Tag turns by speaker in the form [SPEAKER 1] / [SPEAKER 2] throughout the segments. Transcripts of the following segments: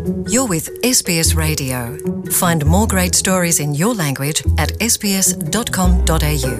[SPEAKER 1] You're with SBS Radio. Find more great stories in your language at sbs.com.au.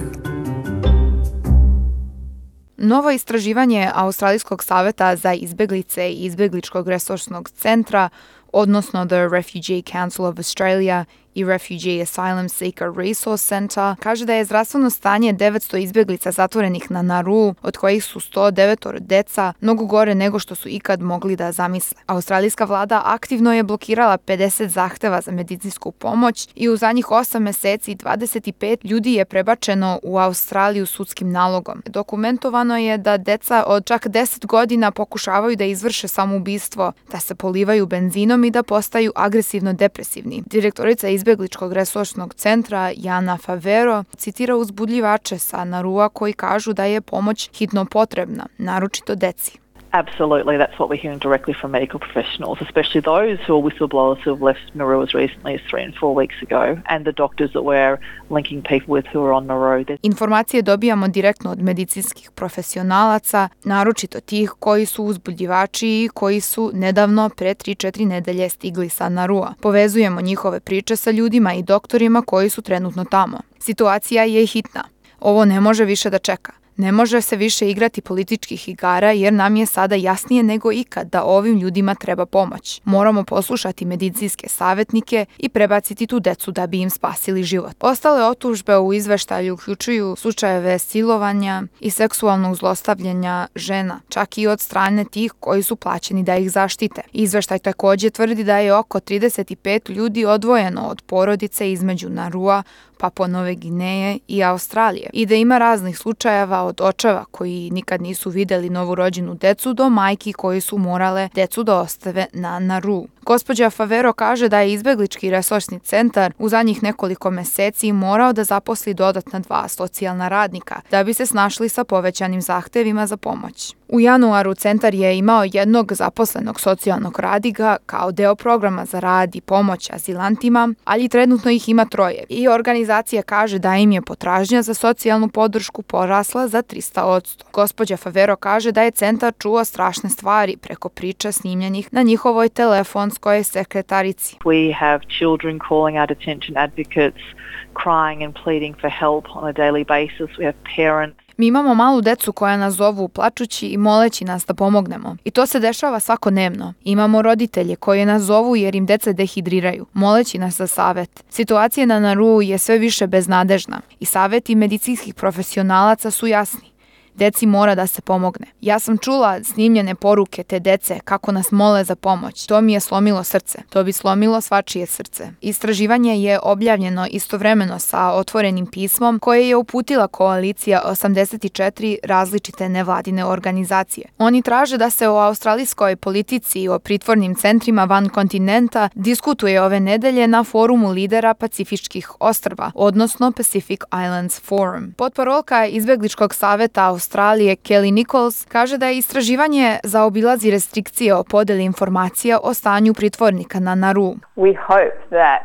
[SPEAKER 2] Novo istraživanje Australijskog saveta za izbjeglice i izbjegličkog resursnog centra, odnosno The Refugee Council of Australia i Refugee Asylum Seeker Resource Center, kaže da je zdravstveno stanje 900 izbjeglica zatvorenih na Nauru, od kojih su 109 deca, mnogo gore nego što su ikad mogli da zamisle. Australijska vlada aktivno je blokirala 50 zahteva za medicinsku pomoć i u zadnjih 8 mjeseci 25 ljudi je prebačeno u Australiju sudskim nalogom. Dokumentovano je da deca od čak 10 godina pokušavaju da izvrše samoubistvo, da se polivaju benzinom i da postaju agresivno depresivni. Direktorica izbjegličkog resursnog centra Jana Favero citira uzbudljivače sa Narua koji kažu da je pomoć hitno potrebna, naročito deci.
[SPEAKER 3] Absolutely, that's what we're hearing directly from medical professionals, especially those who are whistleblowers who have left Nauru as recently as 3 and 4 weeks ago, and the doctors that we're linking people with who are on Nauru.
[SPEAKER 2] Informacije dobijamo direktno od medicinskih profesionalaca, naročito tih koji su uzbudljivači i koji su nedavno pre 3-4 nedelje stigli sa Narua. Povezujemo njihove priče sa ljudima i doktorima koji su trenutno tamo. Situacija je hitna. Ovo ne može više da čeka. Ne može se više igrati političkih igara jer nam je sada jasnije nego ikad da ovim ljudima treba pomoć. Moramo poslušati medicinske savjetnike i prebaciti tu decu da bi im spasili život. Ostale otužbe u izveštalju uključuju slučajeve silovanja i seksualnog zlostavljanja žena, čak i od strane tih koji su plaćeni da ih zaštite. Izveštaj također tvrdi da je oko 35 ljudi odvojeno od porodice između Narua, Papua Nove Gineje i Australije i da ima raznih slučajeva od očeva koji nikad nisu vidjeli novorođenu decu do majki koji su morale decu da ostave na Nauru. Gospođa Favero kaže da je izbjeglički resursni centar u zadnjih nekoliko mjeseci morao da zaposli dodatna 2 socijalna radnika da bi se snašli sa povećanim zahtevima za pomoć. U januaru centar je imao jednog zaposlenog socijalnog radnika kao deo programa za rad i pomoć azilantima, ali trenutno ih ima 3 i organizacija kaže da im je potražnja za socijalnu podršku porasla za 300%. Gospođa Favero kaže da je centar čuo strašne stvari preko priča snimljenih na njihovoj telefonskoj sekretarici.
[SPEAKER 3] We have children calling our detention advocates, crying and pleading for help on a daily basis. We have parents.
[SPEAKER 2] Mi imamo malu decu koja nas zovu plačući i moleći nas da pomognemo. I to se dešava svakodnevno. Imamo roditelje koji nas zovu jer im deca dehidriraju, moleći nas za savjet. Situacija na Nauru je sve više beznadežna i savjeti medicinskih profesionalaca su jasni. Deci mora da se pomogne. Ja sam čula snimljene poruke te dece kako nas mole za pomoć. To mi je slomilo srce. To bi slomilo svačije srce. Istraživanje je objavljeno istovremeno sa otvorenim pismom koje je uputila koalicija 84 različite nevladine organizacije. Oni traže da se o australijskoj politici i o pritvornim centrima van kontinenta diskutuje ove nedelje na forumu lidera Pacifičkih ostrva, odnosno Pacific Islands Forum. Potparolka izbjegličkog saveta Australije Kelly Nichols kaže da je istraživanje zaobilazi restrikcije o podeli informacija o stanju pritvornika na Nauru.
[SPEAKER 4] We hope that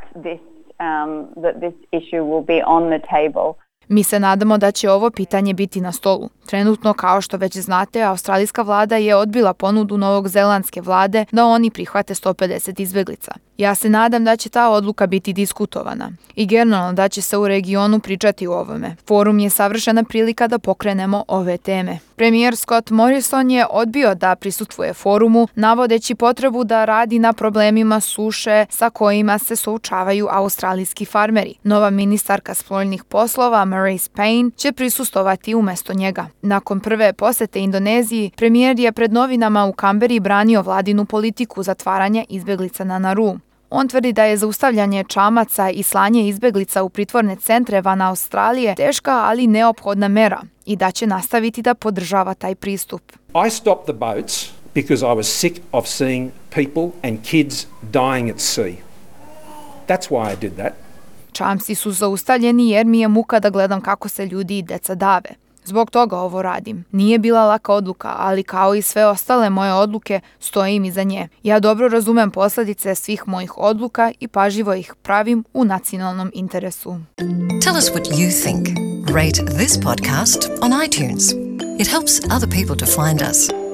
[SPEAKER 4] this issue will be on the table.
[SPEAKER 2] Mi se nadamo da će ovo pitanje biti na stolu. Trenutno, kao što već znate, australijska vlada je odbila ponudu novozelandske vlade da oni prihvate 150 izbjeglica. Ja se nadam da će ta odluka biti diskutovana i generalno da će se u regionu pričati o ovome. Forum je savršena prilika da pokrenemo ove teme. Premijer Scott Morrison je odbio da prisustvuje forumu, navodeći potrebu da radi na problemima suše sa kojima se suočavaju australijski farmeri. Nova ministarka spoljnih poslova Marise Payne će prisustvovati umjesto njega. Nakon prve posete Indoneziji, premijer je pred novinama u Kamberi branio vladinu politiku zatvaranja izbjeglica na Nauru. On tvrdi da je zaustavljanje čamaca i slanje izbjeglica u pritvorne centre van Australije teška, ali neophodna mera i da će nastaviti da podržava taj pristup.
[SPEAKER 5] I stopped the boats because I was sick of seeing people and kids dying at sea. That's why I did that.
[SPEAKER 2] Čamci su zaustavljeni jer mi je muka da gledam kako se ljudi i deca dave. Zbog toga ovo radim. Nije bila laka odluka, ali kao i sve ostale moje odluke, stojim iza nje. Ja dobro razumem posljedice svih mojih odluka i pažljivo ih pravim u nacionalnom interesu.
[SPEAKER 1] Tell us what you think. Rate this podcast on iTunes. It helps other people to find us.